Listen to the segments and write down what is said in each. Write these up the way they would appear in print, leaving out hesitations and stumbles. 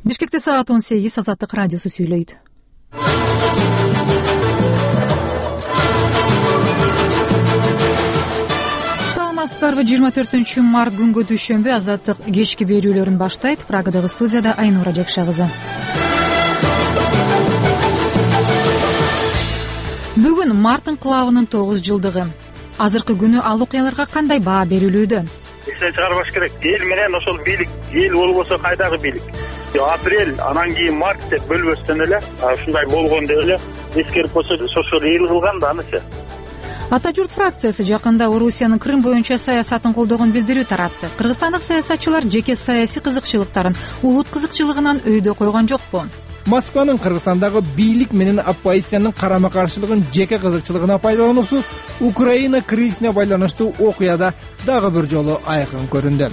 Бишкекте саат 18, Азаттык радиосу сүйлөйт. Саламатсыздарбы? 24-март күнгө дүйшөмбү Азаттык кечки берүүлөрүн баштайт. Прагадагы студияда Айнура Жекша кызы. Бүгүн март инкылабынын 9 жылдыгы. Азыркы күнү ал окуяларга кандай баа берилүүдө? Эстен чыгарбаш керек. Эл менен ошол бийлик, эл болбосо кайдагы бийлик? Апрель, анан кийин март деп бөлбөстөн эле, ушундай болгон деп эле эскерип койсо, ошол эл кылган да анычы. Ата журт фракциясы жакында Орусиянын Крым боюнча саясатын колдогон билдирүү таратты. Кыргызстандык саясатчылар жеке саясий кызыкчылыктарын улут кызыкчылыгынан өйдө койгон жокпу? Москванын Кыргызстандагы бийлик менен оппозициянын карама-каршылыгын жеке кызыкчылыгына пайдалануусу Украина кризисине байланыштуу окуяда дагы бир жолу айкын көрүндү.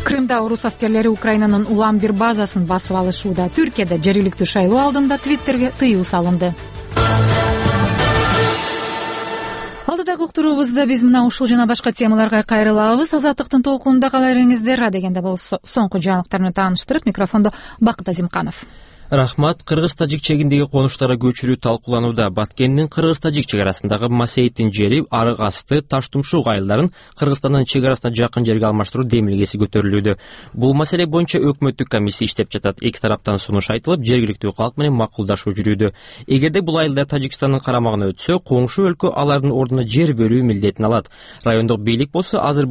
Крымда орус аскерлери Украинанын улам бир базасын басып алышууда. Түркияда жергиликтүү шайлоо алдында Твиттерге тыюу салынды. Алдыдагы уктуруубузда биз мына ушул жана башка темаларга кайрылабыз. Азаттыктын толкунунда кала бериңиздер. Дегенде болсо соңку жаңылыктар менен тааныштырып, микрофондо Бакыт Азимканов. Рахмат. Кыргыз-тажик чегиндеги конуштарга көчүрүү талкууланууда. Баткендин кыргыз-тажик чек арасындагы Масейиттин жери арык асты Таштумшук айылдарын Кыргызстандын чек арасына жакын жерге алмаштыруу демилгеси көтөрүлүүдө. Бул маселе боюнча өкмөттүк комиссия иштеп жатат. Эки тараптан сунуш айтылып, жергиликтүү калк менен макулдашуу жүрүүдө. Эгерде бул айылдар Тажикстандын карамагына өтсө, коңшу өлкө алардын ордуна жер берүү милдетин алат. Райондук бийлик болсо азыр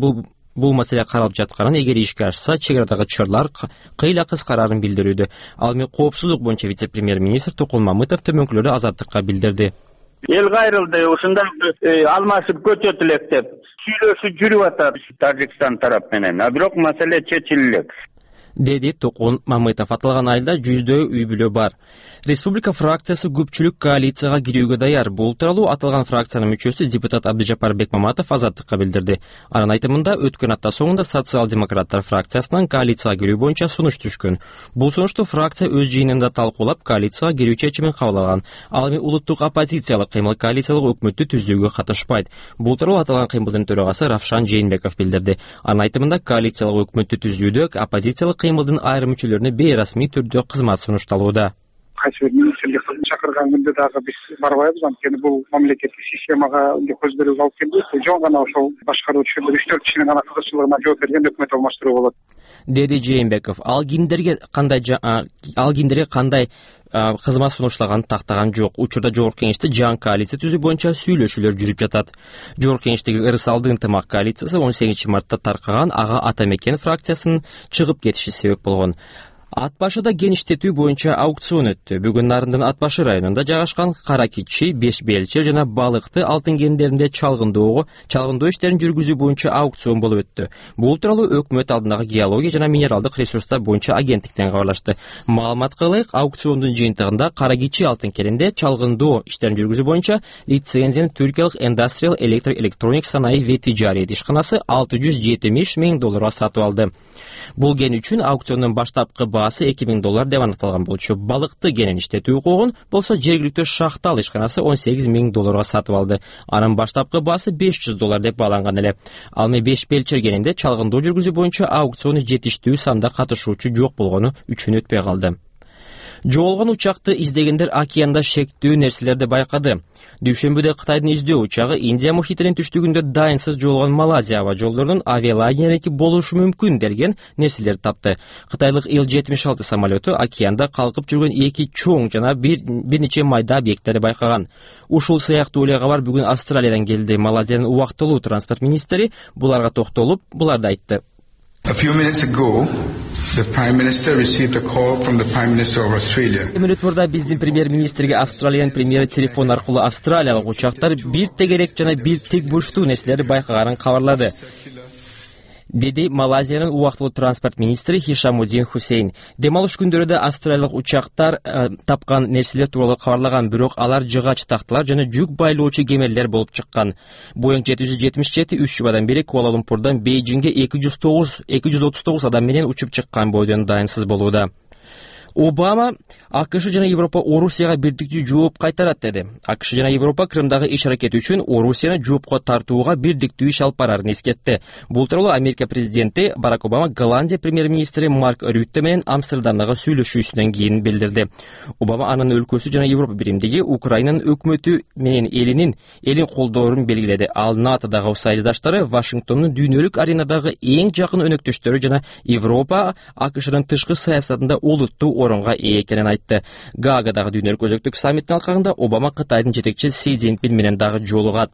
бул маселе каралып жатканын, эгер ишке ашса, чек арадагы чырлар кыйла кыскарарын билдирүүдө. Ал эми коопсуздук боюнча вице-премьер-министр Токун Мамытов төмөнкүлөрдү Азаттыкка билдирди. Эл кайрылды, ушундай алмашып көчөт элек деп сүйлөшүү жүрүп атат Тажикстан тарап менен. Бирок маселе чечилет, деди Токун Мамытов. Аталган айылда 100 үй бүлө бар. Республика фракциясы көпчүлүк коалицияга кирүүгө даяр. Бул тууралуу аталган фракциянын мүчөсү депутат Абдыжапар Бекмаматов Азаттыкка билдирди. Анын айтымында, өткөн апта соңунда социал-демократтар фракциясынан коалицияга кирүү боюнча сунуш түшкөн. Бул сунушту фракция өз жыйынында талкуулап, коалицияга кирүү чечимин кабыл алган. Ал эми улуттук оппозициялык кыймыл коалициялык өкмөттү түздүүгө катышпайт. Бул тууралуу аталган кыймылдын төрагасы Равшан Жээнбеков билдирди. Анын айтымында, коалициялык өкмөттү түздүүдө оппозициялык кыймылдын айрым мүчөлөрүнө бейрасмий түрдө кызмат сунушталууда. Кайсы бир министрлик чакырган күндө дагы биз барбайбыз, анткени бул мамлекеттик системага көз берүүгө алып келбейт. Жөн гана ошол башкаруучу 3-4 кишинин гана кызыкчылыгына жооп берген өкмөт алмаштыруу болот, деди Жээнбеков. Ал кимдерге кандай кызмат сунуштаганын тактаган жок. Учурда жогорку кеңеште жаңы коалиция түзүү боюнча сүйлөшүүлөр жүрүп жатат. Жогорку кеңештеги ырысалды ынтымак коалициясы 18-мартта таркаган Ага Атамекен фракциясынын чыгып кетиши себеп болгон. Ат башыда кен иштетүү боюнча аукцион өттү. Бүгүн Нарындын Ат башы районунда жайгашкан Кара Кичи, Беш Белче жана Балыкты алтын кендеринде чалгындоо иштерин жүргүзүү боюнча аукцион болуп өттү. Бул тууралуу өкмөт алдындагы геология жана минералдык ресурстар боюнча агенттиктен кабарлашты. Маалыматка ылайык, аукциондун жыйынтыгында Кара Кичи алтын кенинде чалгындоо иштерин жүргүзүү боюнча лицензияны Түркиялык Industrial Electronics Санаи ve Ticaret ишканасы $670 миң сатып алды. Бул кен үчүн аукциондун баштапкы баасы $2,000 деп аныкталган болчу. Балыкты кенин иштетүү укугун болсо жергиликтүү Шахтал ишканасы $18 миң сатып алды. Анын баштапкы баасы $500 деп бааланган эле. Ал эми Беш Белчер кенинде чалгындоо жүргүзүү боюнча аукциону жетиштүү санда катышуучу жок болгону үчүн өтпөй калды. Жоголгон учакты издегендер океанда шектүү нерселерди байкады. Дүйшөмбүдө Кытайдын издөө учагы Индия мухитинин түштүгүндө дайынсыз жоголгон Малайзия аба жолдорунун авиалайнериники болушу мүмкүн делген нерселерди тапты. Кытайлык Ил-76 самолету океанда калкып жүргөн эки чоң жана бир нече майда объекттерди байкаган. Ушул сыяктуу эле кабар бүгүн Австралиядан келди. Малайзиянын убактылуу транспорт министри буларга токтолуп, буларды айтты. A few minutes ago, the Prime Minister received a call from the Prime Minister of Australia. Мүнөт мурда биздин премьер-министрге Австралиянын премьери телефон аркылуу австралиялык учактар бир тегерек жана бир тик бурчтуу нерселерди байкаганын кабарлады, деди Малайзиянын убактылуу транспорт министри Хишамуддин Хусейн. Демалыш күндөрүдө австралиялык учактар тапкан нерселер тууралуу кабарлаган, бирок алар жыгач тактылар жана жүк байлоочу кемелер болуп чыккан. Boeing 777 3 жубадан бери Куала-Лумпурдан Бейжиңге 239 адам менен учуп чыккан бойдон дайынсыз болууда. Обама АКШ жана Европа Орусияга бирдиктүү жооп кайтарат деди. АКШ жана Европа Крымдагы иш-аракети үчүн Орусияны жоопко тартууга бирдиктүү иш алып барарын эскертти. Бул тууралуу Америка президенти Барак Обама Голландия премьер-министри Марк Рютте менен Амстердамдагы сүйлөшүүсүнөн кийин билдирди. Обама анын өлкөсү жана Европа биримдиги Украинанын өкмөтү менен элин колдоорун белгиледи. Ал НАТОдагы союздаштары Вашингтондун дүйнөлүк аренадагы эң жакын өнөктөштөрү жана Европа АКШнын тышкы саясатында олуттуу орунга ээ экенин айтты. Гаагадагы дүйнөлүк өзөктүк саммиттин алкагында Обама Кытайдын жетекчиси Си Цзиньпин менен дагы жолугат.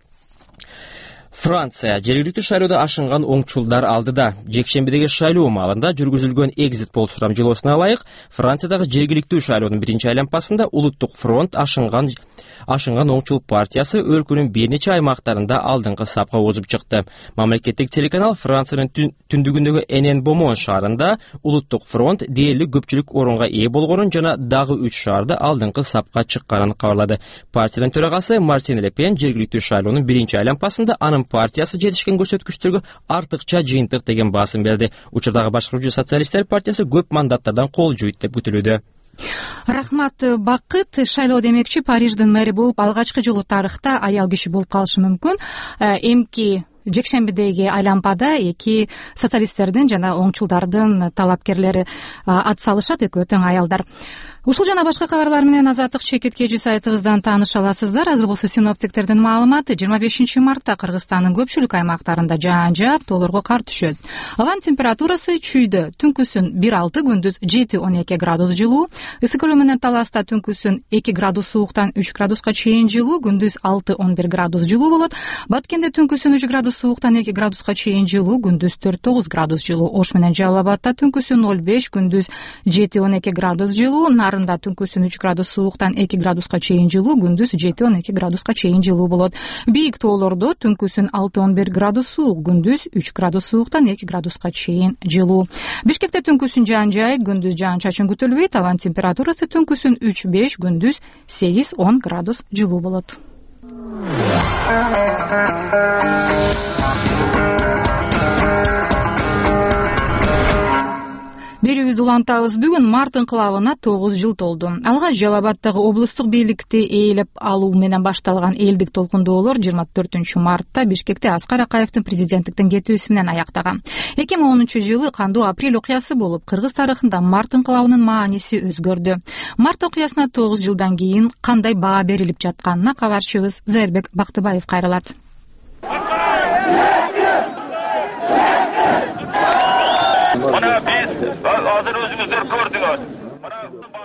Франция жергиликтүү шайлоодо ашынган оңчулдар алдыда. Жекшембидеги шайлоо маалында жүргүзүлгөн экзит пол сурамжылоосуна ылайык, Франциядагы жергиликтүү шайлоонун биринчи айланпасында Улуттук фронт ашынган оңчул партиясы өлкөнүн бир нече аймактарында алдыңкы сапка озуп чыкты. Мамлекеттик телеканал Франциянын түндүгүндөгү Энен-Бомон шаарында Улуттук фронт дээрлик көпчүлүк орунга ээ болгонун жана дагы 3 шаарда алдыңкы сапка чыкканын кабарлады. Партиянын төрагасы Мартин Ле Пен жергиликтүү шайлоонун биринчи айланпасында анын партиясы жетишкен көрсөткүчтөргө артыкча жыйынтык деген баасын берди. Учурдагы башкаруучу социалисттер партиясы көп мандаттардан кол жуйт деп күтүлүүдө. Рахмат Бакыт. Шайлоо демекчи Париждин мэри болуп алгачкы жолу тарыхта аял киши болуп калышы мүмкүн. Эмки жекшембидеги айланпада эки социалисттердин жана оңчулдардын талапкерлери ат салышат, экөө тең аялдар. Ушул жана башка кабарлар менен Азаттык чекиткечи сайтыбыздан тааныша аласыздар. Азыр болсо синоптиктердин маалыматы: 25 мартта Кыргызстандын көпчүлүк аймактарында жаан жаап, тоолорго кар түшөт. Абанын температурасы чүйдө түнкүсүн 1-6, күндүз 7-12 градус жылуу. Ысык көлү менен Таласта түнкүсүн 2 градус сууктан 3 градуска чейин жылуу, күндүз 6-11 градус жылуу болот. Баткенде түнкүсүн 3 градус сууктан 2 градуска чейин жылуу, күндүз 4-9 градус жылуу. Ош менен Жалал Абадта түнкүсүн 0-5, күндүз 7-12 градус жылуу. Нарында түнкүсүн 3 градус сууктан 2 градуска чейин жылуу, күндүз 7-12 градуска чейин жылуу болот. Бийик тоолордо түнкүсүн 6-11 градус суук, күндүз 3 градус сууктан 2 градуска чейин жылуу. Бишкекте түнкүсүн жаан жай, күндүз жаан чачын күтүлбөйт. Абанын температурасы түнкүсүн 3-5, күндүз 8-10 градус жылуу болот. Берүүбүздү улантабыз. Бүгүн март инкылабына 9 жыл толду. Алгач Жалал Абадтагы облустук бийликти ээлеп алуу менен башталган элдик толкундоолор 24 мартта Бишкекте Аскар Акаевдин президенттиктен кетүүсү менен аяктаган. 2010 жылы кандуу апрель окуясы болуп, кыргыз тарыхында март инкылабынын мааниси өзгөрдү. Март окуясына 9 жылдан кийин кандай баа берилип жатканына кабарчыбыз Зайырбек Бактыбаев кайрылат.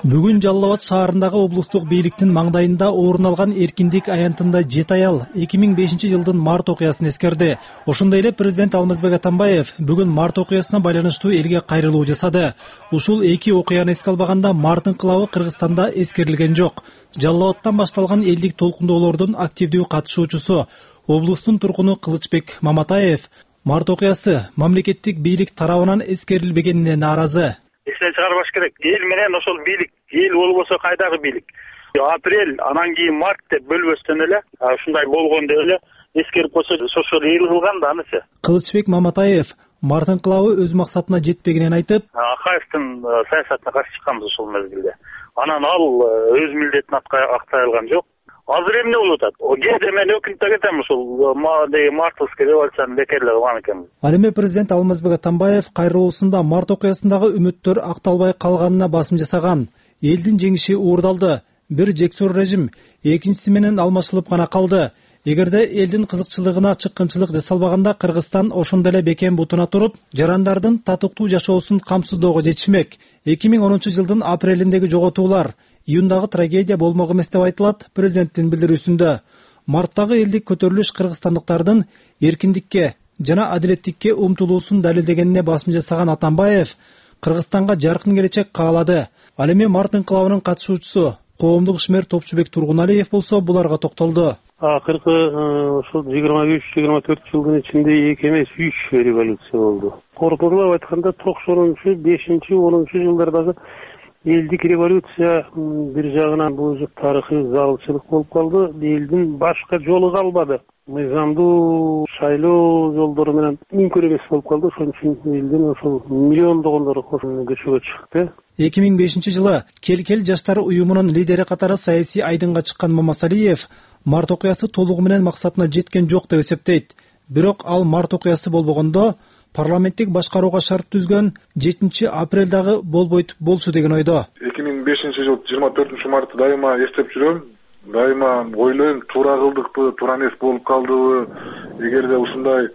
Бүгүн Жалал Абад шаарындагы облустук бийликтин маңдайында орун алган эркиндик аянтында 7 аял 2005 жылдын март окуясын эскерди. Ошондой эле президент Алмазбек Атамбаев бүгүн март окуясына байланыштуу элге кайрылуу жасады. Ушул эки окуяны эске албаганда март инкылабы Кыргызстанда эскерилген жок. Жалал Абадтан башталган элдик толкундоолордун активдүү катышуучусу облустун тургуну Кылычбек Маматаев март окуясы мамлекеттик бийлик тарабынан эскерилбегенине нааразы. Эстен чыгарбаш керек. Эл менен ошол бийлик, эл болбосо кайдагы бийлик? Апрель, анан кийин март деп бөлбөстөн эле, ушундай болгондо эле эскерип койсо, ошол эл кылган да анысы. Кылычбек Маматаев март инкылабы өз максатына жетпегенин айтып, Акаевдин саясатына каршы чыкканбыз ошол мезгилде. Анан ал өз милдетин актай алган жок. Азыр эмне болуп атат? Кээде мен өкүнүп кетем, ушул мартовский революцияны бекерлеп алган экенбиз. Ал эми президент Алмазбек Атамбаев кайрылуусунда март окуясындагы үмүттөр акталбай калганына басым жасаган. Элдин жеңиши уурдалды. Бир жексор режим экинчиси менен алмашылып гана калды. Эгерде элдин кызыкчылыгына чыккынчылык жасалбаганда Кыргызстан ошондой эле бекем бутуна туруп, жарандардын татыктуу жашоосун камсыздоого жетишмек. 2010 жылдын апрелиндеги жоготуулар июндагы трагедия болмок эмес деп айтылат президенттин билдирүүсүндө. Марттагы элдик көтөрүлүш кыргызстандыктардын эркиндикке жана адилеттикке умтулуусун далилдегенине басым жасаган Атамбаев Кыргызстанга жаркын келечек каалады. Ал эми март инкылабынын катышуучусу коомдук ишмер Топчубек Тургуналиев болсо буларга токтолду. Акыркы ушул 23-24 жылдын ичинде 2 эмес 3 революция болду. Коркундап айтканда 90-5-10 жылдардагы элдик революция бир жагынан бул тарыхый залчылык болуп калды. Элдин башка жолу калбады. мыйзамдуу шайлоо жолдору менен мүмкүн эмес болуп калды. Ошон үчүн элдин ошол миллиондогондор көчөгө чыкты. 2005 жылы Кел жаштар уюмунун лидери катары саясий айдынга чыккан Мамасалиев март окуясы толугу менен максатына жеткен жок деп эсептейт. Бирок ал март окуясы болбогондо парламенттик башкарууга шарт түзгөн 7 апрелдагы болчу деген ойдо. 2005 жыл 24 мартты дайыма эстеп жүрөм. Дайыма ойлойм, туура кылдыкпы, туура эмес болуп калдыбы, эгерде ушундай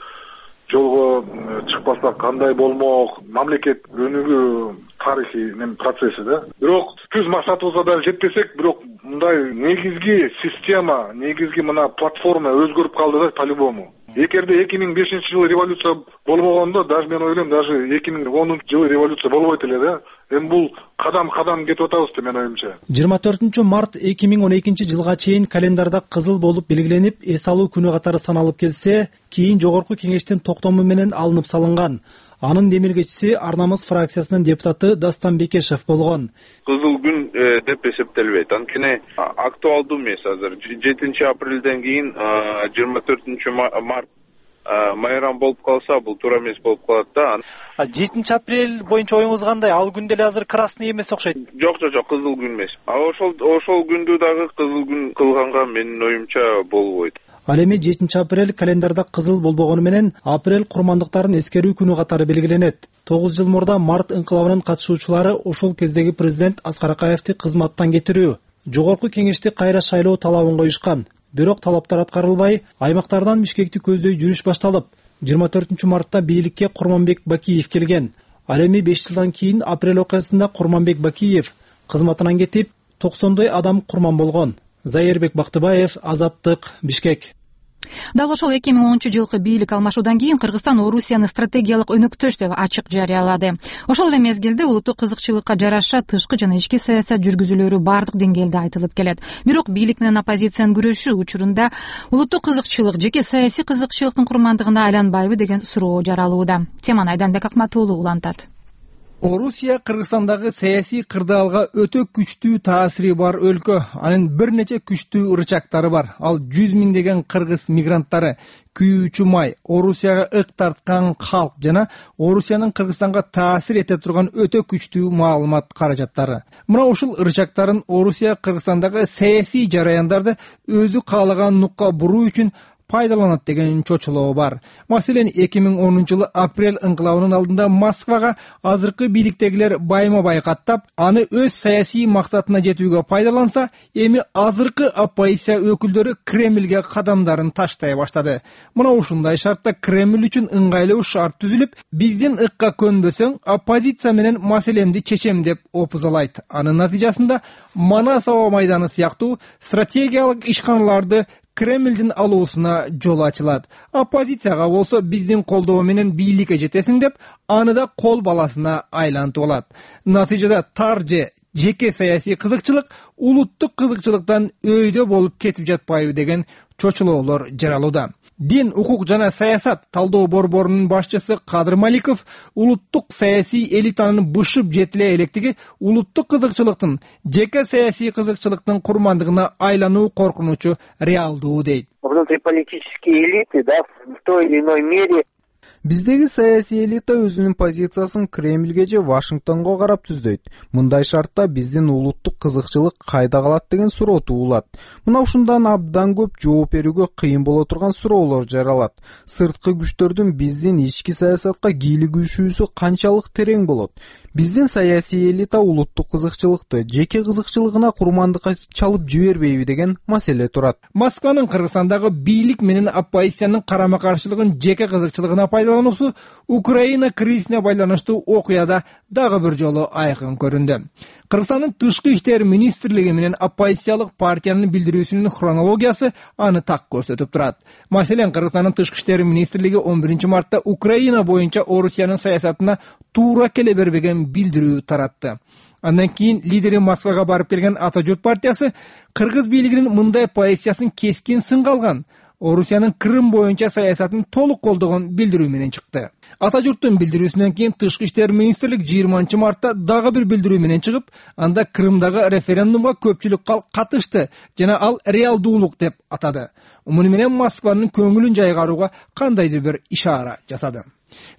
жолго чыкпасак кандай болмок, мамлекет өнүгүү тарыхый процесси да. Бирок түз максатыбызга да жетпесек, бирок мындай негизги система, негизги мына платформа өзгөрүп калды да по-любому. Эгерде 2005 жылы революция болбогондо, даже мен ойлойм, даже 2010 жылы революция болбойт эле да. Эми бул кадам кетип атабыз деп мен оюмча. 24 март 2012 жылга чейин календарда кызыл болуп белгиленип, эс алуу күнү катары саналып келсе, кийин жогорку кеңештин токтому менен алынып салынган. Анын демилгечиси Арнамыз фракциясынын депутаты Дастан Бекешев болгон. Кызыл күн деп эсептелбейт. Анткени актуалдуу эмес азыр. 7 апрелден кийин 24 март майрам болуп калса, бул туура эмес болуп калат да. 7 апрель боюнча оюңуз кандай? Ал күн деле азыр красный эмес окшойт. Жок, кызыл күн эмес. Ошол күндү дагы кызыл күн кылганга менин оюмча болбойт. Ал эми 7 апрель календарда кызыл болбогону менен апрель курмандыктарын эскерүү күнү катары белгиленет. 9 жыл мурда март инкылабынын катышуучулары ошол кездеги президент Аскар Акаевди кызматтан кетирүү, жогорку кеңешти кайра шайлоо талабын коюшкан. Бирок талаптар аткарылбай, аймактардан Бишкекти көздөй жүрүш башталып, 24 мартта бийликке Курманбек Бакиев келген. Ал эми 5 жылдан кийин апрель окуясында Курманбек Бакиев кызматынан кетип, 90 адам курман болгон. Зайырбек Бактыбаев, Азаттык, Бишкек. Дал ошол 2010 жылкы бийлик алмашуудан кийин Кыргызстан Орусияны стратегиялык өнөктөш деп ачык жарыялады. Ошол эле мезгилде улуттук кызыкчылыкка жараша тышкы жана ички саясат жүргүзүүлөрү бардык деңгээлде айтылып келет. Бирок бийлик менен оппозициянын күрөшү учурунда улуттук кызыкчылык жеке саясий кызыкчылыктын курмандыгына айланбайбы деген суроо жаралууда. Теманы Айданбек Акматуулу улантат. Орусия Кыргызстандагы саясий кырдаалга өтө күчтүү таасири бар өлкө. Анын бир нече күчтүү ырчактары бар. Ал 100 миңдеген кыргыз мигранттары, күйүүчү май, Орусияга ык тарткан калк жана Орусиянын Кыргызстанга таасир эте турган өтө күчтүү маалымат каражаттары. Мына ушул ырчактарын Орусия Кыргызстандагы саясий жараяндарды өзү каалаган нукка буруу үчүн пайдаланат деген чочулоо бар. Маселен, 2010 жылы апрель инкылабынын алдында Москвага азыркы бийликтегилер байма-бай каттап, аны өз саясий максатына жетүүгө пайдаланса, эми азыркы оппозиция өкүлдөрү Кремльге кадамдарын таштай баштады. Мына ушундай шартта Кремль үчүн ыңгайлуу шарт түзүлүп, биздин ыкка көнбөсөң, оппозиция менен маселемди чечем деп опузалайт. Анын натыйжасында Манас аба майданы сыяктуу стратегиялык ишканаларды Кремльдин алуусуна жол ачылат. Оппозицияга болсо биздин колдоо менен бийликке жетесиң деп, аны да кол баласына айлантып алат. Натыйжада тар же жеке саясий кызыкчылык улуттук кызыкчылыктан өйдө болуп кетип жатпайбы деген чочулоолор жаралууда. Дин, укук жана саясат талдоо борборунун башчысы Кадыр Маликов улуттук саясий элитанын бышып жетиле электиги улуттук кызыкчылыктын жеке саясий кызыкчылыктын курмандыгына айлануу коркунучу реалдуу дейт. Внутриполитические элиты, да, в той или иной мере. Биздеги саясий элита өзүнүн позициясын Кремльге же Вашингтонго карап түздөйт. Мындай шартта биздин улуттук кызыкчылык кайда калат деген суроо туулат. Мына ушундан абдан көп жооп берүүгө кыйын боло турган суроолор жаралат. Сырткы күчтөрдүн биздин ички саясатка кийлигишүүсү канчалык терең болот? Биздин саясий элита улуттук кызыкчылыкты жеке кызыкчылыгына курмандыкка чалып жибербейби деген маселе турат. Москванын Кыргызстандагы бийлик менен оппозициянын карама-каршылыгын жеке кызыкчылыгына пайдалануусу Украина кризисине байланыштуу окуяда дагы бир жолу айкын көрүндү. Кыргызстандын тышкы иштер министрлиги менен оппозициялык партиянын билдирүүсүнүн хронологиясы аны так көрсөтүп турат. Маселен, Кыргызстандын тышкы иштер министрлиги 11 мартта Украина боюнча Орусиянын саясатына туура келе бербеген билдирүү таратты. Андан кийин лидери Москвага барып келген Ата журт партиясы Кыргыз бийлигинин мындай позициясын кескин сынга алган. Орусиянын Крым боюнча саясатын толук колдогон билдирүү менен чыкты. Ата журттун билдирүүсүнөн кийин Тышкы иштер министрлик 20-мартта дагы бир билдирүү менен чыгып, анда Крымдагы референдумга көпчүлүк катышты жана ал реалдуулук деп атады. Муну менен Москванын көңүлүн жайгарууга кандайдыр бир ишара жасады.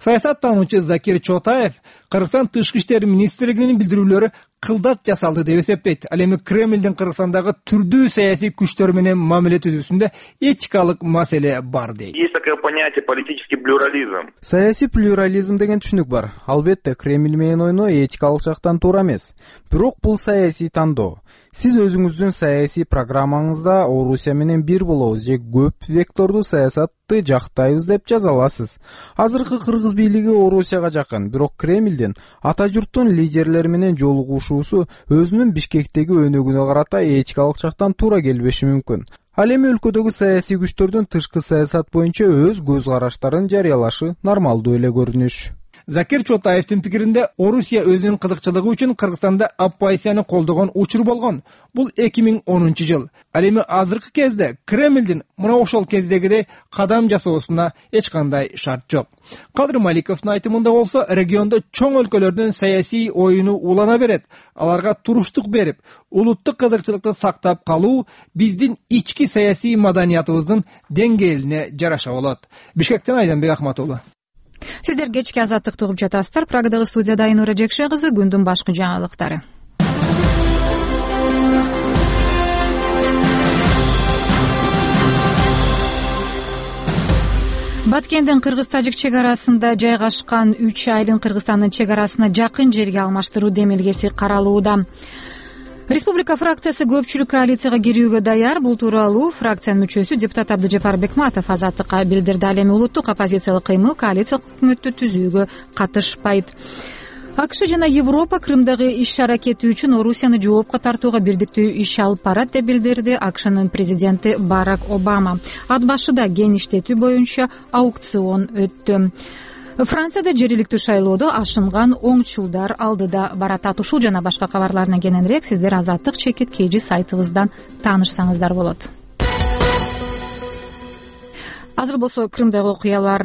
Саясаттануучу Закир Чотаев Кыргызстан Тышкы иштер министрлигинин билдирүүлөрү кылдат жасалды деп эсептейт. Ал эми Кремлдин Кыргызстандагы түрдүү саясий күчтөр менен мамиле түзүүсүндө этикалык маселе бар дейт. Есть такое понятие политический плюрализм. Саясий плюрализм деген түшүнүк бар. Албетте Кремль менен ойноо этикалык жактан туура эмес. Бирок бул саясий тандоо. Сиз өзүңүздүн саясий программаңызда Орусия менен бир болобуз же көп вектордуу саясатты жактайбыз деп жаза аласыз. Азыркы кыргыз бийлиги Орусияга жакын, бирок Кремлдин ата журттун лидерлери менен жолугушуусу өзүнүн Бишкектеги өнөгүнө карата этикалык жактан туура келбеши мүмкүн. Ал эми өлкөдөгү саясий күчтөрдүн тышкы саясат боюнча өз көз караштарын жарыялашы нормалдуу эле көрүнүш. Закир Чотаевдин пикиринде Орусия өзүнүн кызыкчылыгы үчүн Кыргызстанда оппозицияны колдогон учур болгон. Бул 2010 жыл. Ал эми азыркы кезде Кремлдин мына ошол кездегидей кадам жасоосуна эч кандай шарт жок. Кадыр Маликовдун айтымында болсо, региондо чоң өлкөлөрдүн саясий оюну улана берет. Аларга туруштук берип, улуттук кызыкчылыкты сактап калуу биздин ички саясий маданиятыбыздын деңгээлине жараша болот. Бишкектен Айданбек Ахматулы. Сиздер кечки азаттыкты угуп жатасыздар. Прагадагы студияда Айнура Жекше кызы, күндүн башкы жаңылыктары. Баткендин кыргыз-тажик чек арасында жайгашкан 3 айылын Кыргызстандын чек арасына жакын жерге алмаштыруу демилгеси каралууда. Республика фракциясы көпчүлүк коалицияга кирүүгө даяр. Бул тууралуу фракциянын мүчөсү депутат Абдыжапар Бекматов Азаттыкка билдирди. Ал эми улуттук оппозициялык кыймыл коалициялык өкмөттү түзүүгө катышпайт. АКШ жана Европа Крымдагы иш-аракети үчүн Орусияны жоопко тартууга бирдиктүү иш алып барат деп билдирди АКШнын президенти Барак Обама. Ат башыда кен иштетүү боюнча аукцион өттү. Францияда жергиликтүү шайлоодо ашынган оңчулдар алдыда барат. Ушул жана башка кабарларынан кененирээк сиздер Азаттык чекит KG сайтыбыздан таанышсаңыздар болот. Азыр болсо Крымдагы окуялар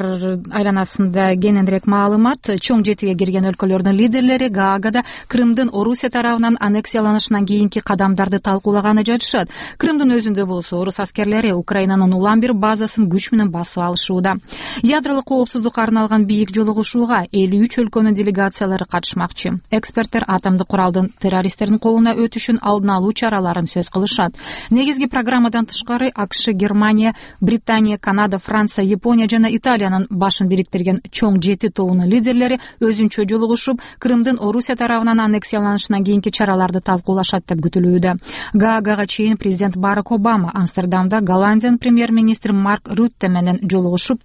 айланасында кененирээк маалымат. Чоң жетиге кирген өлкөлөрдүн лидерлери Гаагада Крымдын Орусия тарабынан аннексияланышынан кийинки кадамдарды талкуулаганы жатышат. Крымдын өзүндө болсо орус аскерлери Украинанын улам бир базасын күч менен басып алышууда. Ядролук коопсуздукка арналган бийик жолугушууга 53 өлкөнүн делегациялары катышмакчы. Эксперттер атомдук куралдын террористтердин колуна өтүшүн алдын алуу чараларын сөз кылышат. Негизги программадан тышкары АКШ, Германия, Британия, Канада, Франция, Япония жана Италиянын башын бириктирген чоң 7 тобунун лидерлери өзүнчө жолугушуп, Крымдын Орусия тарабынан аннексияланышынан кийинки чараларды талкуулашат деп күтүлүүдө. Гаагага чейин президент Барак Обама Амстердамда Голландиянын премьер-министри Марк Рютте менен жолугушуп,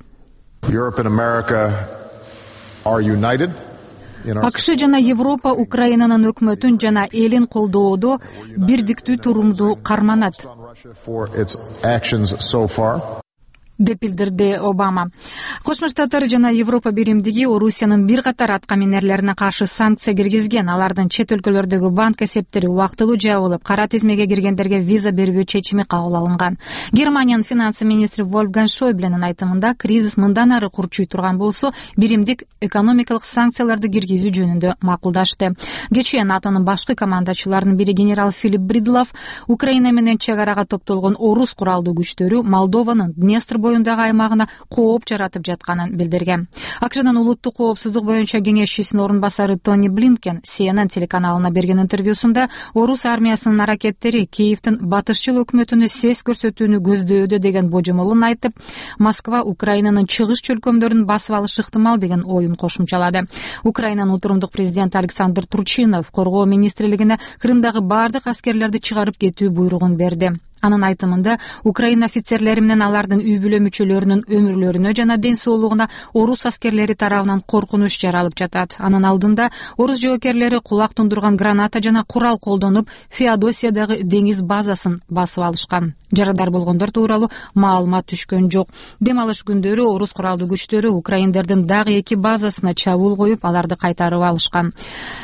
АКШ жана Европа Украинанын өкмөтүн жана элин колдоодо бирдиктүү турумду карманат деп билдирди Обама. Кошмо Штаттар жана Европа биримдиги Орусиянын бир катар аткаминерлерине каршы санкция киргизген. Алардын чет өлкөлөрдөгү банк эсептери убактылуу жабылып, кара тизмеге киргендерге виза бербөө чечими кабыл алынган. Германиянын финансы министри Вольфганг Шойбленин айтымында, кризис мындан ары курчуй турган болсо, биримдик экономикалык санкцияларды киргизүү жөнүндө макулдашты. Кечээ НАТОнун башкы командачыларынын бири генерал Филипп Бридлов Украина менен чек арага топтолгон орус куралдуу күчтөрү Молдованын Днестр боюндагы аймагына кооп жаратып жатканын билдирген. АКШнын улуттук коопсуздук боюнча кеңешчисинин орун басары Тони Блинкен CNN телеканалына берген интервьюсунда орус армиясынын аракеттери Киевдин батышчыл өкмөтүнө сес көрсөтүүнү көздөөдө деген божомолун айтып, Москва Украинанын чыгыш чөлкөмдөрүн басып алышы ыктымал деген оюн кошумчалады. Украинанын утурумдук президенти Александр Турчинов коргоо министрлигине Крымдагы бардык аскерлерди чыгарып кетүү буйругун берди. Анын айтымында, Украина офицерлери менен алардын үй бүлө мүчөлөрүнүн өмүрлөрүнө жана ден соолугуна орус аскерлери тарабынан коркунуч жаралып жатат. Анын алдында орус жоокерлери кулак тундурган граната жана курал колдонуп, Феодосиядагы деңиз базасын басып алышкан. Жарадар болгондор тууралуу маалымат түшкөн жок. Дем алыш күндөрү орус куралдуу күчтөрү украиндердин дагы 2 базасына чабуул коюп, аларды кайтарып алышкан.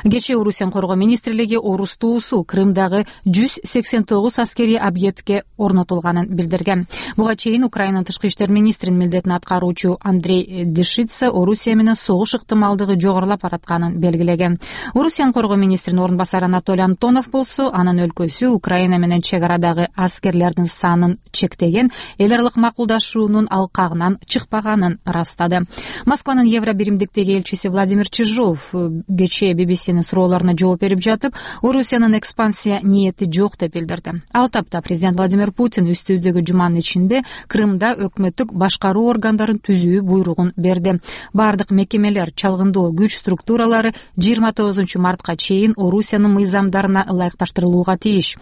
Кечээ Орусиянын коргоо министрлиги орус туусу Крымдагы 189 аскерий объектке ишке орнотулганын билдирген. Буга чейин Украинанын тышкы иштер министринин милдетин аткаруучу Андрей Дешица Орусия менен согуш ыктымалдыгы жогорулап баратканын белгилеген. Орусиянын коргоо министринин орун басары Анатолий Антонов болсо, анын өлкөсү Украина менен чек арадагы аскерлердин санын чектеген эл аралык макулдашуунун алкагынан чыкпаганын ырастады. Москванын Евробиримдиктеги элчиси Владимир Чижов кечээ BBC'нин суроолоруна жооп берип жатып, Орусиянын экспансия ниети жок деп билдирди. Ал тапта президент Владимир Путин үстүбүздөгү жуманын ичинде Крымда өкмөттүк башкаруу органдарын түзүү буйругун берди. Бардык мекемелер, чалгындоо күч структуралары 29 мартка чейин Орусиянын мыйзамдарына ылайыкташтырылууга тийиш.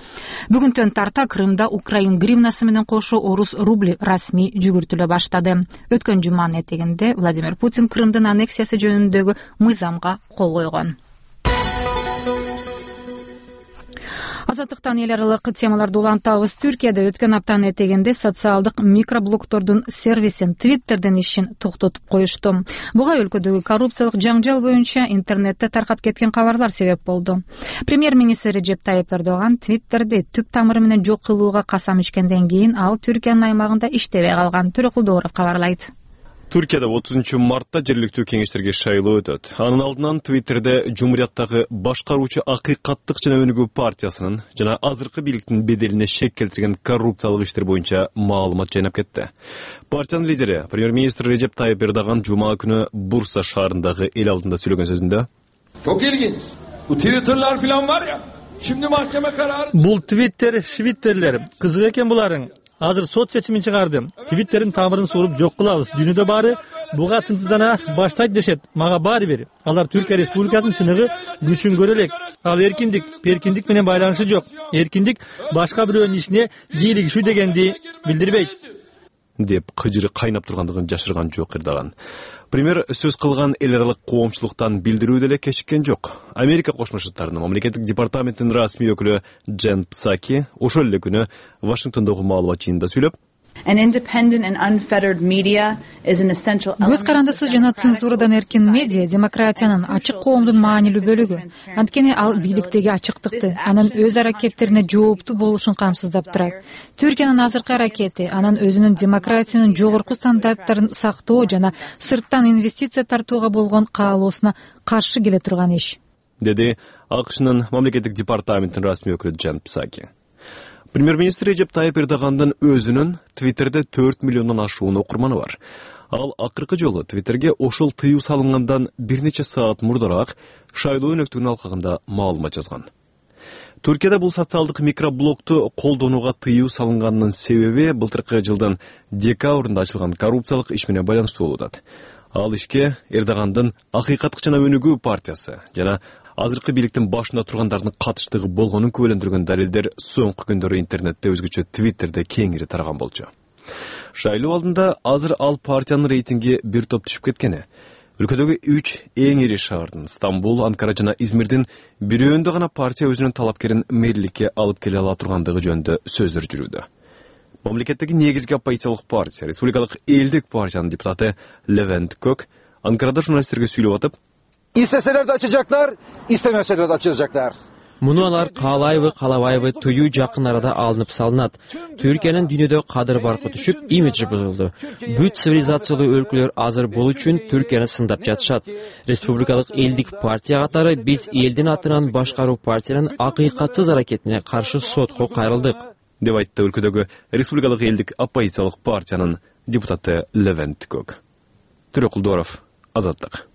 Бүгүнтөн тарта Крымда украин гривнасы менен кошо орус рубли расмий жүгүртүлө баштады. Өткөн жуманын этегинде Владимир Путин Крымдын аннексиясы жөнүндөгү мыйзамга кол койгон. Азаттыктан эл аралык темаларды улантабыз. Түркияда өткөн аптанын этегинде социалдык микроблогтордун сервисин Twitter'ден ишин токтотуп коюшту. Буга өлкөдөгү коррупциялык жаңжал боюнча интернетте таркап кеткен кабарлар себеп болду. Премьер-министр Режеп Тайип Эрдоган Twitter'ди түп тамыры менен жок кылууга касам ичкенден кийин ал Түркиянын аймагында иштебей калган. Төрөкулдууров кабарлайт. Түркияда 30 мартта жергиликтүү кеңештерге шайлоо өтөт. Анын алдынан Twitter'де Жумурияттагы башкаруучу Акыйкаттык жана Өнүгүү партиясынын жана азыркы бийликтин беделине шек келтирген коррупциялык иштер боюнча маалымат жайнап кетти. Партиянын лидери премьер-министр Режеп Тайип Эрдоган жума күнү Бурса шаарындагы эл алдында сөйлөгөн сөзүндө Çok ilginç. Bu Twitter'lar falan var ya. Şimdi mahkeme kararı. Бул Twitter, швиттерлер. Кызык экен буларың. Азыр сот чечимин чыгарды. Твиттердин тамырын суруп жок кылабыз. Дүйнөдө баары буга тынчсыздана баштайт дешет. Мага баары бир. Алар Түркия Республикасынын чыныгы күчүн көрө элек. Ал эркиндик, перкиндик менен байланышы жок. Эркиндик башка бирөөнүн ишине кийлигишүү дегенди билдирбейт. деп кыжыры кайнап тургандыгын жашырган жок Эрдоган. Премьер сөз кылган эл аралык коомчулуктан билдирүү деле кечиккен жок. Америка Кошмо Штаттарынын мамлекеттик департаментинин расмий өкүлү Джен Псаки ошол эле күнү Вашингтондогу маалымат жыйынында сүйлөп, көз карандысыз жана цензурадан эркин медиа демократиянын ачык коомдун маанилүү бөлүгү. Анткени ал бийликтеги ачыктыкты, анын өз аракеттерине жооптуу болушун камсыздап турат. Түркиянын азыркы аракети анын өзүнүн демократиянын жогорку стандарттарын сактоо жана сырттан инвестиция тартууга болгон каалоосуна каршы келе турган иш, деди АКШнын мамлекеттик департаментинин расмий өкүлү Джен Псаки. Премьер-министр Режеп Тайип Эрдогандын өзүнүн Twitter'де 4 миллиондон ашуун окурманы бар. Ал акыркы жолу Twitter'ге ошол тыюу салынгандан бир нече саат мурдараак шайлоо өнөктүгүнүн алкагында маалымат жазган. Түркияда бул социалдык микроблогду колдонууга тыюу салынганынын себеби былтыркы жылдын декабрында ачылган коррупциялык иш менен байланыштуу болуп атат. Ал ишке Эрдогандын Акыйкаттык жана Өнүгүү партиясы жана азыркы бийликтин башында тургандардын катыштыгы болгонун күбөлөндүргөн далилдер соңку күндөрү интернетте өзгөчө Twitter'де кеңири тараган болчу. Шайлоо алдында азыр ал партиянын рейтинги бир топ түшүп кеткени. Өлкөдөгү 3 эң ири шаардын Стамбул, Анкара жана Измирдин бирөөндө гана партия өзүнүн талапкерин мэрликке алып келе ала тургандыгы жөнүндө сөздөр жүрүүдө. Мамлекеттеги негизги оппозициялык партия, Республикалык элдик партиянын депутаты Левент Кök Анкарада журналисттерге сүйлөп атып, İsteseler de açacaklar, istemeseler de açacaklar. Муну алар каалайбы, каалабайбы тыюу жакын арада алынып салынат. Түркиянын дүйнөдө кадыр баркы түшүп, имиджи бузулду. Бүт цивилизациялуу өлкөлөр азыр бул үчүн Түркияны сындап жатышат. Республикалык элдик партия катары биз элдин атынан башкаруу партиянын акыйкатсыз аракетине каршы сотко кайрылдык, деп айтты өлкөдөгү Республикалык элдик оппозициялык партиянын депутаты Левент Кök. Төрөкулдууров, Азаттык.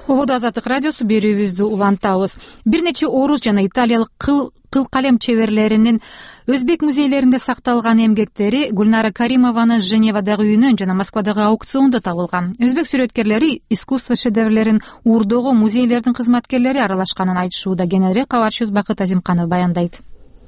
Ободо Азаттык радиосу берүүбүздү улантабыз. Бир нече орус жана италиялык кыл калем чеберлеринин өзбек музейлеринде сакталган эмгектери Гүлнара Каримованын Женевадагы үйүнөн жана Москвадагы аукциондо табылган. Өзбек сүрөткерлери искусство шедеврлерин уурдоого музейлердин кызматкерлери аралашканын айтышууда. Кененирээк кабарчыбыз Бакыт Азимканов баяндайт.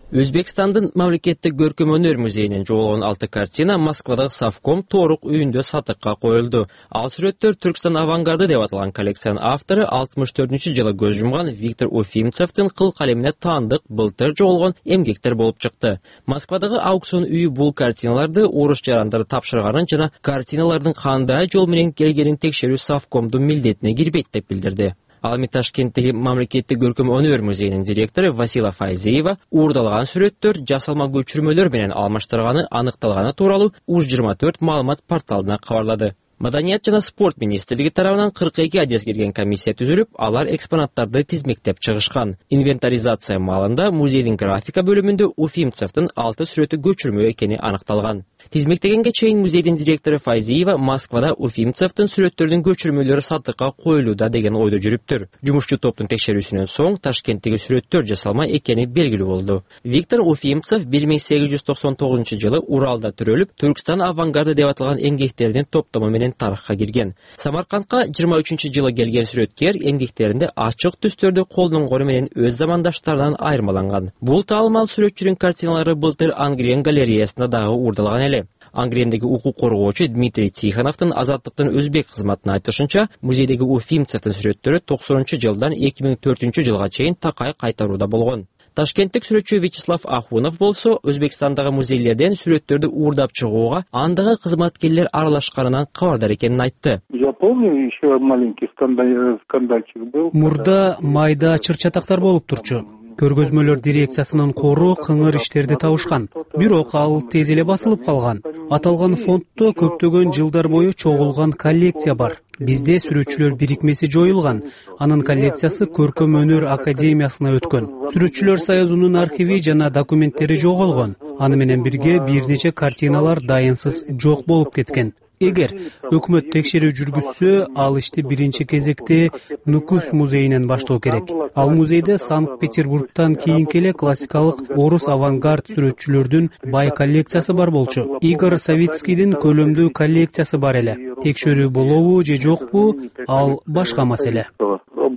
Өзбекстандын мамлекеттик көркөм өнөр музейинен жоголгон 6 картина Москвадагы Совком Торук үйүндө сатыкка коюлду. Ал сүрөттөр Түркстан авангарды деп аталган коллекциянын автору 64-жылы көз жумган Виктор Уфимцевдин кыл калемине таандык былтыр жоголгон эмгектер болуп чыкты. Москвадагы аукцион үйү бул картиналарды орус жарандары тапшырганын жана картиналардын кандай жол менен келгенин текшерүү Совкомдун милдетине кирбейт деп билдирди. Ал эми Ташкенттеги мамлекеттик көркөм өнөр музейинин директору Васила Файзиева уурдалган сүрөттөр жасалма көчүрмөлөр менен алмаштырганы аныкталганы тууралуу УЖ-24 маалымат порталына кабарлады. Маданият жана спорт министрлиги тарабынан 42 адес келген комиссия түзүлүп, алар экспонаттарды тизмектеп чыгышкан. Инвентаризация маалында музейдин графика бөлүмүндө Уфимцевдин 6 сүрөтү көчүрмө экени аныкталган. Тизмектегенге чейин музейдин директору Файзиева Москвада Уфимцевдин сүрөттөрүнүн көчүрмөлөрү сатыкка коюлууда деген ойдо жүрүптүр. Жумушчу топтун текшерүүсүнөн соң Ташкенттеги сүрөттөр жасалма экени белгилүү болду. Виктор Уфимцев 1899 жылы Уралда төрөлүп, Түркстан авангарда деп аталган эмгектеринин топтому менен тарыхка кирген. Самаркандка 23 жылы келген сүрөткер эмгектеринде ачык түстөрдү колдонгону менен өз замандаштарынан айырмаланган. Бул таалымал сүрөтчүнүн картиналары былтыр Ангрен галереясында дагы уурдалган эле. Ангрендеги укук коргоочу Дмитрий Тихоновдун Азаттыктын өзбек кызматына айтышынча, музейдеги Уфимцевдин сүрөттөрү 90-жылдан 2004-жылга чейин такай кайтарууда болгон. Ташкенттик сүрөтчү Вячеслав Ахунов болсо, Өзбекстандагы музейлерден сүрөттөрдү уурдап чыгууга андагы кызматкерлер аралашканынан кабардар экенин айтты. Я помню, еще маленький скандальчик был. Мурда майда чыр-чатактар болуп турчу. Көргөзмөлөр дирекциясынын кору кыңыр иштерди табышкан. Бирок ал тез эле басылып калган. Аталган фонддо көптөгөн жылдар бою чогулган коллекция бар. Бизде сүрөтчүлөр бирикмеси жоюлган. Анын коллекциясы Көркөм өнөр академиясына өткөн. Сүрөтчүлөр союзунун архиви жана документтери жоголгон. Аны менен бирге бир нече картиналар дайынсыз жок болуп кеткен. Эгер өкмөт текшерүү жүргүзсө, ал ишти биринчи кезекте Нукус музейинен баштоо керек. Ал музейде Санкт-Петербургтан кийинки эле классикалык орус авангард сүрөтчүлөрдүн бай коллекциясы бар болчу. Игорь Савицкийдин көлөмдүү коллекциясы бар эле. Текшерүү болобу же жокпу, ал башка маселе.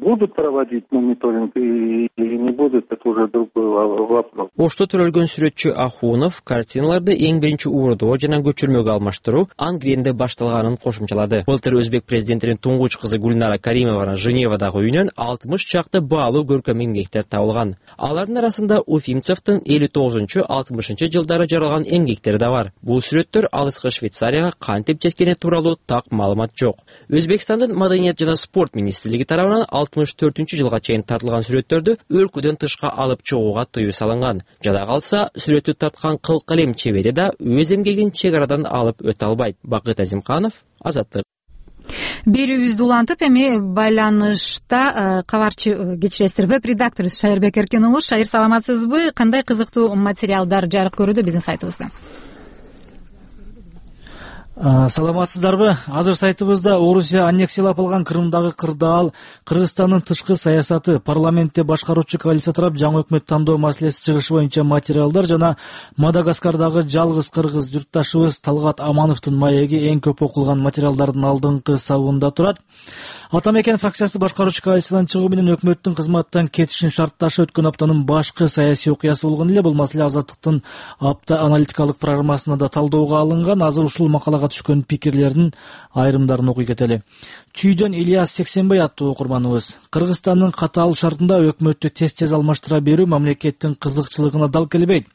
Будут проводить мониторинг или не будут, это уже другой вопрос. Ошто төрөлгөн сүрөтчү Ахунов картиналарды эң биринчи уурдоо жана көчүрмөгө алмаштыруу Ангренде башталганын кошумчалады. Былтыр өзбек президентинин туңгуч кызы Гүлнара Каримованын Женевадагы үйүнөн 60 чакты баалуу көркөм эмгектер табылган. Алардын арасында Уфимцевдин 59-60 жылдары жаралган эмгектери да бар. Бул сүрөттөр алыскы Швейцарияга кантип жеткени тууралуу так маалымат жок. Өзбекстандын Маданият жана спорт министрлиги тарабынан 64-жылга чейин тартылган сүрөттөрдү өлкөдөн тышка алып чыгууга тыюу салынган. Жада калса, сүрөттү тарткан кыл калем чебери да өз эмгегин чек арадан алып өтө албайт. Бакыт Азимканов, Азаттык. Берүүбүздү улантып, эми байланышта кабарчы кечиресиздер, веб-редактор Шайырбек Эркен уулу. Шайыр, саламатсызбы? Кандай кызыктуу материалдар жарык көрүүдө биздин сайтыбызда? Саламатсыздарбы? Азыр сайтыбызда Орусия аннексиялап алган Крымдагы кырдаал, Кыргызстандын тышкы саясаты, парламентте башкаруучу коалиция тарап жаңы өкмөт тандоо маселеси чыгышы боюнча материалдар жана Мадагаскардагы жалгыз кыргыз журтташыбыз Талгат Амановдун маеги эң көп окулган материалдардын алдыңкы сабында турат. Атамекен фракциясы башкаруучу коалициядан чыгуу менен өкмөттүн кызматтан кетишин шартташы өткөн аптанын башкы саясий окуясы болгон эле. Бул маселе Азаттыктын апта аналитикалык программасына да талдоого алынган. Азыр ушул макалага түшкөн пикирлердин айрымдарын окуй кетели. Чүйдөн Ильяс Сексенбай аттуу окурманыбыз: Кыргызстандын катаал шартында өкмөттү тез алмаштыра берүү мамлекеттин кызыкчылыгына дал келбейт.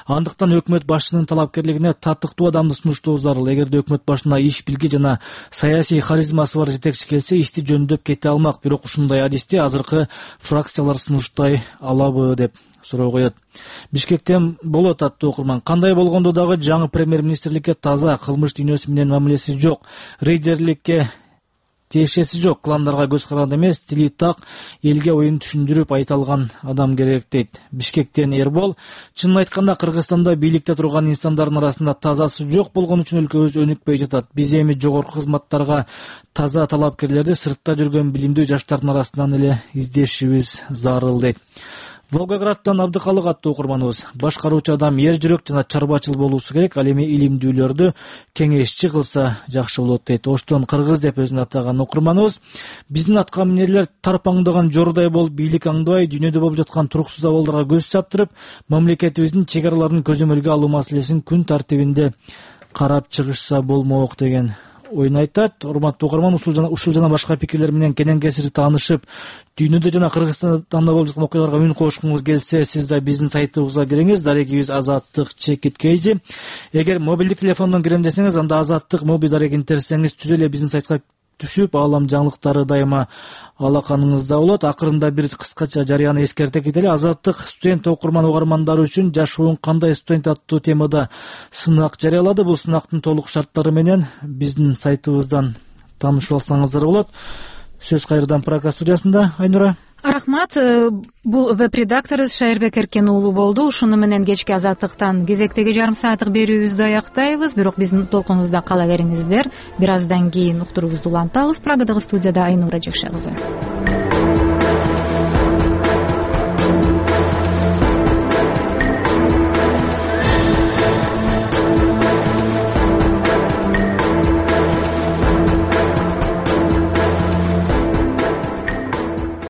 Андыктан өкмөт башчынын талапкерлигине татыктуу адамды сунуштоо зарыл. Эгерде өкмөт башына иш билги жана саясий харизмасы бар жетекчи келсе, ишти жөндөп кете алмак. Бирок ушундай адисти азыркы фракциялар сунуштай алабы деп суроо коет. Бишкектен болот аттуу окурман: кандай болгондо дагы жаңы премьер-министрликке таза, кылмыш дүйнөсү менен мамилеси жок, рейдерликке тиешеси жок, кландарга көз каранды эмес, тили так, элге оюн түшүндүрүп айта алган адам керек дейт. Бишкектен Эрбол: чынын айтканда Кыргызстанда бийликте турган инсандардын арасында тазасы жок болгон үчүн өлкөбүз өнүкпөй жатат. Биз эми жогорку кызматтарга таза талапкерлерди сыртта жүргөн билимдүү жаштардын арасынан эле издешибиз зарыл дейт. Волгоградтан Абдыкалык аттуу окурманыбыз: башкаруучу адам эр жүрөк жана чарбачыл болуусу керек, ал эми илимдүүлөрдү кеңешчи кылса жакшы болот дейт. Оштон Кыргыз деп өзүн атаган окурманыбыз: биздин атка минерлер тарпаңдаган жордай болуп бийлик аңдыбай, дүйнөдө болуп жаткан туруксуз абалдарга көз чаптырып, мамлекетибиздин чек араларын көзөмөлгө алуу маселесин күн тартибинде карап чыгышса болмок деген оюн айтат. Урматтуу окурман, ушул жана башка пикирлер менен кенен кесири таанышып, дүйнөдө жана Кыргызстанда болуп жаткан окуяларга үн кошкуңуз келсе, сиз да биздин сайтыбызга кириңиз. Дарегибиз Азаттык _KG. Эгер мобилдик телефондон кирем десеңиз, анда Азаттык моби дарегин терсеңиз түз эле биздин сайтка түшүп, аалам жаңылыктары дайыма алаканыңызда болот. Акырында бир кыскача жарыяны эскерте кетели. Азаттык студент угармандары үчүн жашооң кандай студент аттуу темада сынак жарыялады. Бул сынактын толук шарттары менен биздин сайтыбыздан таанышып алсаңыздар болот. Сөз кайрадан Прага студиясында. Айнура. Рахмат. Бул веб-редакторубуз Шайырбек Эркен уулу болду. Ушуну менен кечки Азаттыктан кезектеги жарым сааттык берүүбүздү аяктайбыз. Бирок биздин толкунубузда кала бериңиздер. Бир аздан кийин уктуруубузду улантабыз. Прагадагы студияда Айнура Жекше кызы.